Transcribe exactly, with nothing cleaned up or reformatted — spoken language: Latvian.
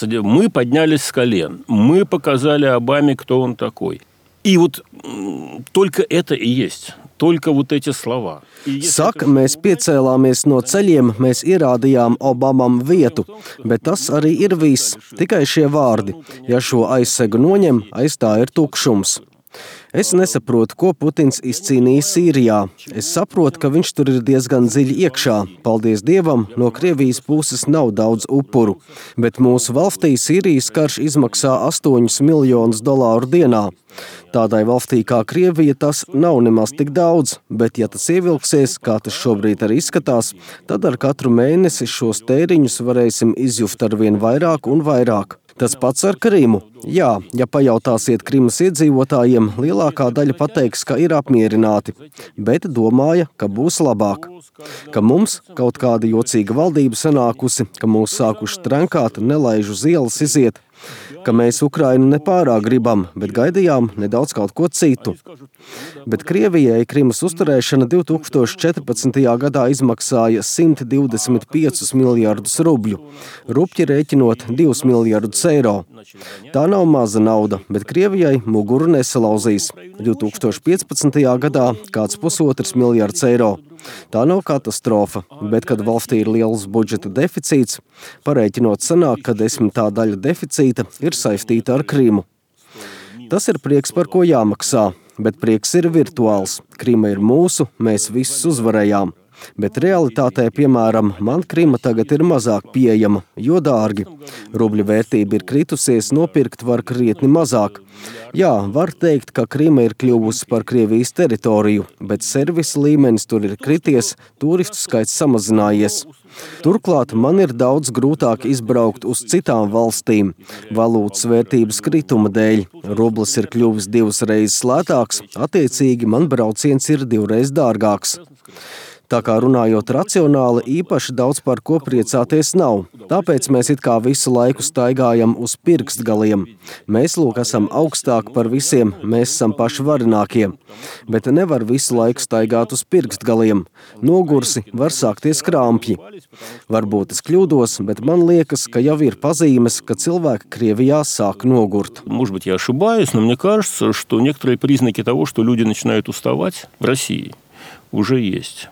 Мы поднялись с колен. Мы показали Обаме, кто он такой. И вот только это и есть. Только вот эти слова. Saka, mēs piecēlāmies no ceļiem, mēs ierādījām Obamam vietu, bet tas arī ir viss, tikai šie vārdi. Ja šo aizsegu noņem, aiz tā ir tukšums. Es nesaprotu, ko Putins izcīnīja Sīrijā. Es saprotu, ka viņš tur ir diezgan dziļi iekšā. Paldies Dievam, no Krievijas puses nav daudz upuru. Bet mūsu valstī Sīrijas karš izmaksā astoņus miljonus dolāru dienā. Tādai valstī kā Krievija tas nav nemaz tik daudz, bet ja tas ievilksies, kā tas šobrīd arī izskatās, tad ar katru mēnesi šos tēriņus varēsim izjuft arvien vairāk un vairāk. Tas pats ar Krimu. Jā, ja pajautāsiet Krimas iedzīvotājiem, lielākā daļa pateiks, ka ir apmierināti, bet domāja, ka būs labāk. Ka mums kaut kāda jocīga valdība sanākusi, ka mūs sākuši trenkāt, nelaiž uz ielas iziet, ka mēs Ukrainu nepārāk gribam, bet gaidījām nedaudz kaut ko citu. Bet Krievijai Krimas uzturēšana divi tūkstoši četrpadsmitajā gadā izmaksāja simt divdesmit piecus miljardus rubļu, rupji rēķinot divus miljardus eiro. Tā nav maza nauda, bet Krievijai muguru nesalauzīs. divi tūkstoši piecpadsmitajā gadā kāds pusotrs miljards eiro. Tā nav katastrofa, bet, kad valstī ir liels budžeta deficīts, parēķinot sanāk, ka desmitā daļa deficīta ir saistīta ar Krimu. Tas ir prieks, par ko jāmaksā, bet prieks ir virtuāls. Krima ir mūsu, mēs visus uzvarējām. Bet realitātē, piemēram, man Krima tagad ir mazāk pieejama, jo dārgi. Rubļa vērtība ir kritusies, nopirkt var krietni mazāk. Jā, var teikt, ka Krima ir kļuvusi par Krievijas teritoriju, bet servisa līmenis tur ir krities, turistu skaits samazinājies. Turklāt man ir daudz grūtāk izbraukt uz citām valstīm, valūtas vērtības krituma dēļ. Rublis ir kļuvis divas reizes lētāks, attiecīgi man brauciens ir divreiz dārgāks. Tā kā runājot racionāli, īpaši daudz par ko priecāties nav. Tāpēc mēs it kā visu laiku staigājam uz pirkstgaliem. Mēs, lūk, esam augstāk par visiem, mēs esam paši varinākie. Bet nevar visu laiku staigāt uz pirkstgaliem. Nogursi, var sākties krampji. Varbūt es kļūdos, bet man liekas, ka jau ir pazīmes, ka cilvēki Krievijā sāk nogurt. Может быть, я ошибаюсь, но мне кажется, что некоторые признаки того, что люди начинают уставать в России, уже есть.